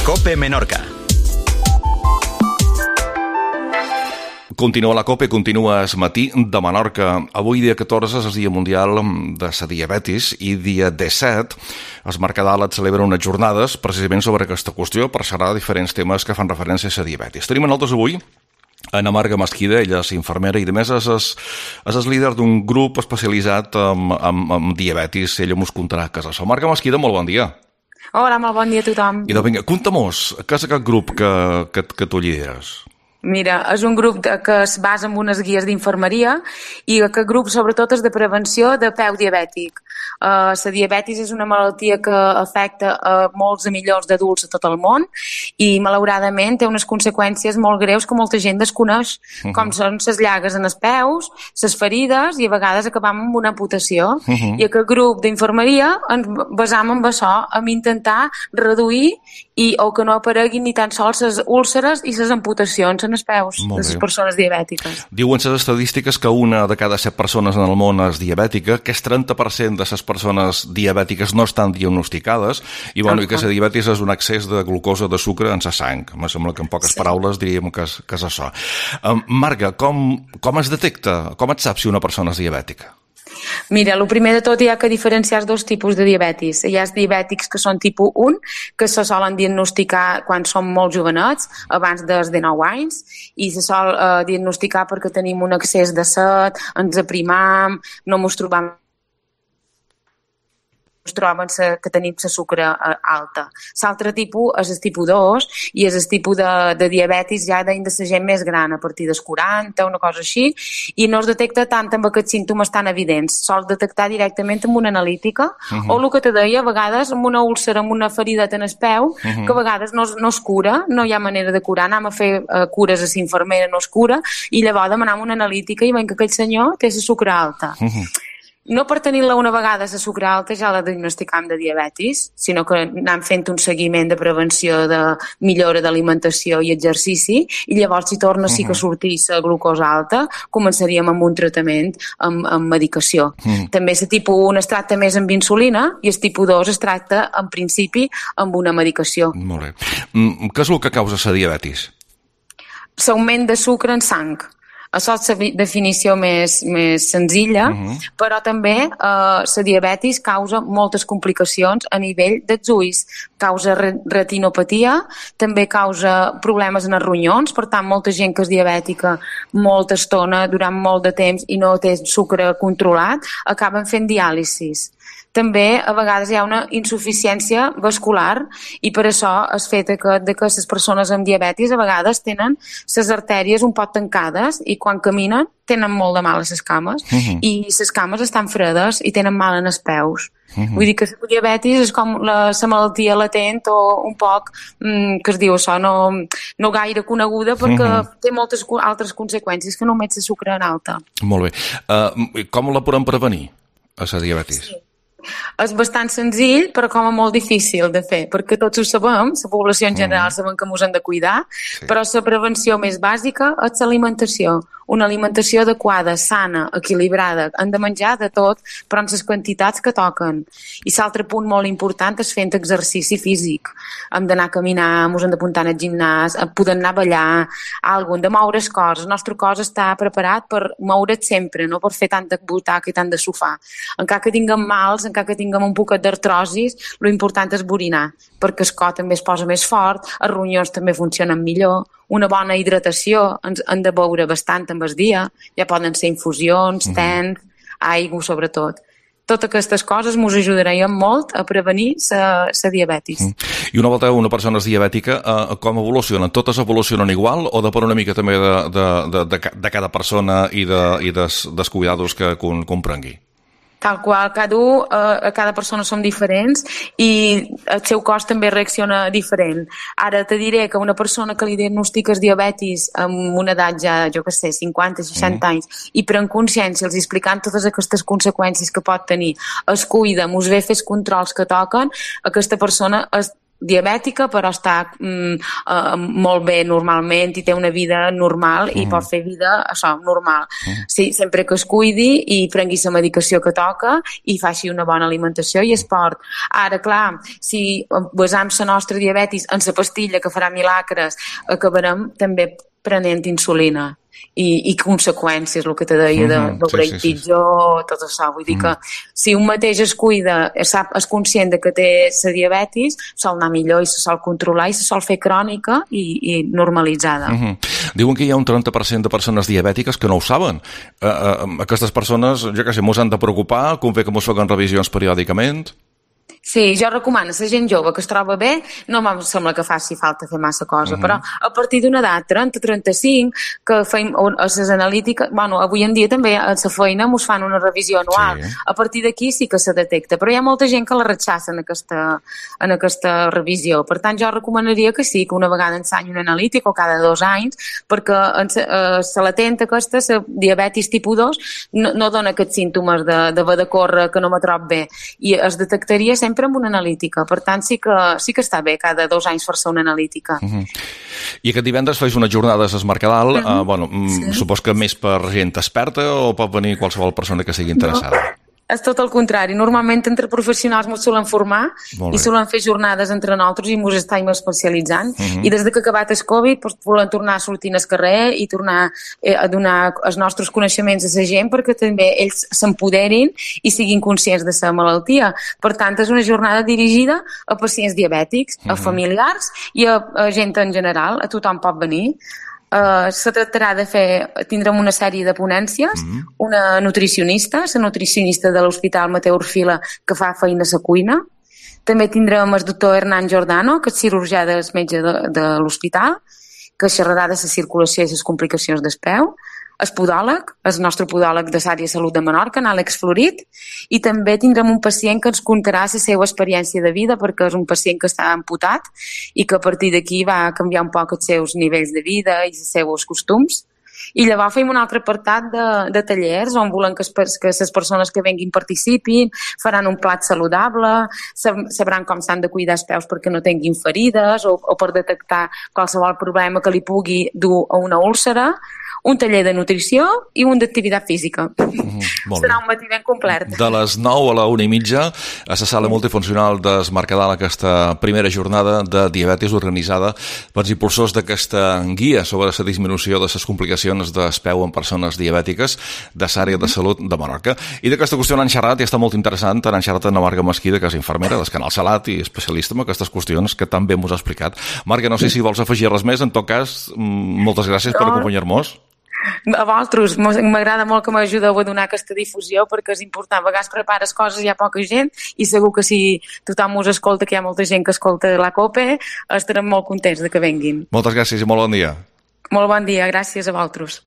COPE Menorca. Continua la COPE, continua el matí de Menorca. Avui, dia 14, és el Dia Mundial de la Diabetis i dia 17 el Mercadal et celebra unes jornades precisament sobre aquesta qüestió per xerrar de diferents temes que fan referència a la diabetis. Tenim a nosaltres avui Ana Marga Mesquida, ella és infermera i a més és líder d'un grup especialitzat en diabetis. Ella mos contarà què és això. Marga Mesquida, molt bon dia. Hola, molt bon dia a tothom. I doncs vinga, conta-mos, què és aquest grup que tu lideres? Mira, és un grup que es basa en unes guies d'infermeria i aquest grup sobretot és de prevenció de peu diabètic. La diabetis és una malaltia que afecta a molts de milions d'adults a tot el món i malauradament té unes conseqüències molt greus que molta gent desconeix, com són les llagues en els peus, les ferides i a vegades acabam amb una amputació. I aquest grup d'infermeria ens basam en això, en intentar reduir o que no apareguin ni tan sols les úlceres i les amputacions en els peus de les persones diabètiques. Diuen les estadístiques que una de cada 7 persones en el món és diabètica, que el 30% de les persones diabètiques no estan diagnosticades i que la diabetis és un excés de glucosa, de sucre en la sang. Em sembla que en poques paraules diríem que és això. Marga, com es detecta, com et saps si una persona és diabètica? Mira, el primer de tot hi ha que diferenciar dos tipus de diabetis. Hi ha els diabètics que són tipus 1, que se solen diagnosticar quan som molt jovenets, abans dels 19 anys, i se sol diagnosticar perquè tenim un excés de set, ens aprimam, no ens trobam troben que tenim la sucre alta. L'altre tipus és el tipus 2 i és el tipus de diabetis ja de la gent més gran, a partir dels 40, una cosa així, i no es detecta tant amb aquests símptomes tan evidents. Sols detectar directament amb una analítica o el que te deia, a vegades amb una úlcera, amb una ferideta en el peu, que a vegades no es cura, no hi ha manera de curar, anem a fer cures a l'infermera, no es cura, i llavors demanem una analítica i veiem que aquell senyor té la sucre alta. No per tenir-la una vegada la sucre alta ja la diagnosticam de diabetis, sinó que anem fent un seguiment de prevenció de millora d'alimentació i exercici i llavors si torna sí que sortir la glucosa alta, començaríem amb un tractament amb medicació. També el tipus 1 es tracta més amb insulina i el tipus 2 es tracta en principi amb una medicació. Molt bé. Què és el que causa la diabetis? L'augment de sucre en sang. Això és la definició més senzilla, però també la diabetis causa moltes complicacions a nivell dels ulls. Causa retinopatia, també causa problemes en els ronyons, per tant, molta gent que és diabètica molta estona, durant molt de temps i no té sucre controlat, acaben fent diàlisis. També a vegades hi ha una insuficiència vascular i per això es fet que les persones amb diabetis a vegades tenen les artèries un poc tancades i quan caminen tenen molt de mal a les cames i les cames estan fredes i tenen mal en els peus. Vull dir que la diabetis és com la malaltia latent o un poc, que es diu això, no gaire coneguda perquè té moltes altres conseqüències que només la sucre en alta. Molt bé. Com la podem prevenir, a la diabetis? Sí. És bastant senzill, però com a molt difícil de fer, perquè tots ho sabem, la població en general sabem que ens hem de cuidar, però la prevenció més bàsica és l'alimentació. Una alimentació adequada, sana, equilibrada. Hem de menjar de tot, però en les quantitats que toquen. I l'altre punt molt important és fent exercici físic. Hem d'anar a caminar, ens hem d'apuntar al gimnàs, podem anar a ballar, hem de moure el cos. El nostre cos està preparat per moure's sempre, no per fer tant de butaca i tant de sofà. Encara que tinguem mals, encara que tinguem un poquet d'artrosis, l'important és borinar, perquè el cos també es posa més fort, els ronyons també funcionen millor, una bona hidratació, hem de beure bastant amb el dia, ja poden ser infusions, tens, aigua sobretot. Totes aquestes coses ens ajudarien molt a prevenir la diabetis. I una volta una persona és diabètica, com evolucionen? Totes evolucionen igual o depèn una mica també de cada persona i dels cuidados que comprengui? Tal qual, cada persona som diferents i el seu cos també reacciona diferent. Ara te diré que una persona que li diagnostiques diabetis amb una edat ja, jo què sé, 50, 60 anys, i pren consciència, els explicant totes aquestes conseqüències que pot tenir, es cuida, us ve fer els controls que toquen, aquesta persona diabètica, però està molt bé normalment i té una vida normal i pot fer vida, això, normal. Sí, sempre que es cuidi i prengui la medicació que toca i faci una bona alimentació i esport. Ara, clar, si basam la nostra diabetis en la pastilla que farà milagres, acabarem també prenent insulina i conseqüències, el que te deia d'obrir pitjor, tot això. Vull dir que si un mateix es cuida, és conscient de que té la diabetis, sol anar millor i se sol controlar i se sol fer crònica i normalitzada. Diuen que hi ha un 30% de persones diabètiques que no ho saben. Aquestes persones, jo què sé, mos han de preocupar, convé que mos facin revisions periòdicament? Sí, jo recomano a la gent jove que es troba bé, no em sembla que faci falta fer massa cosa, però a partir d'una edat, 30-35, que feim a les analítiques, bueno, avui en dia també a la feina mos fan una revisió anual, a partir d'aquí sí que se detecta, però hi ha molta gent que la rechaça en aquesta revisió, per tant jo recomanaria que sí, que una vegada ensenyi un analític o cada 2 anys, perquè se latenta aquesta, la diabetis tipus 2, no dona aquests símptomes d'haver de córrer, que no me trob bé, i es detectaria sempre amb una analítica. Per tant, sí que està bé cada 2 anys fer-se una analítica. I aquest divendres feis una jornada a Es Mercadal, supos que més per gent experta o pot venir qualsevol persona que sigui interessada? És tot el contrari. Normalment entre professionals ens solen formar i solen fer jornades entre nosaltres i ens estem especialitzant. I des que ha acabat el Covid volem tornar a sortir al carrer i tornar a donar els nostres coneixements a la gent perquè també ells s'empoderin i siguin conscients de la malaltia. Per tant, és una jornada dirigida a pacients diabètics, a familiars i a gent en general. A tothom pot venir. Se tractarà tindrem una sèrie de ponències, una nutricionista, la nutricionista de l'Hospital Mateu Orfila, que fa feina a la cuina. També tindrem el doctor Hernán Giordano, que és cirurgià del metge de l'hospital, que xerrarà de la circulació i les complicacions del peu. El podòleg, el nostre podòleg de l'àrea de salut de Menorca, en Àlex Florit, i també tindrem un pacient que ens contarà la seva experiència de vida, perquè és un pacient que està amputat i que a partir d'aquí va canviar un poc els seus nivells de vida i els seus costums. I llavors fem un altre apartat de tallers on volem que les persones que venguin participin, faran un plat saludable, sabran com s'han de cuidar els peus perquè no tinguin ferides o per detectar qualsevol problema que li pugui dur a una úlcera, un taller de nutrició i un d'activitat física. Serà un matí ben complet. De les 9 a la 1:30 a la sala multifuncional d'Es Mercadal, aquesta primera jornada de diabetis organitzada pels impulsors d'aquesta guia sobre la disminució de les complicacions del peu en persones diabètiques de l'àrea de salut de Menorca. I d'aquesta qüestió n'han xerrat i està molt interessant, n'han xerrat amb la Marga Mesquida, que és infermera del Canal Salat i especialista en aquestes qüestions que tan bé mos ha explicat. Marga, no sé si vols afegir res més, en tot cas, moltes gràcies per acompanyar-nos. A vosaltres, m'agrada molt que m'ajudeu a donar aquesta difusió perquè és important, a vegades prepares coses i hi ha poca gent i segur que si tothom us escolta, que hi ha molta gent que escolta la COPE, estarem molt contents de que venguin. Moltes gràcies i molt bon dia. Molt bon dia, gràcies a vosaltres.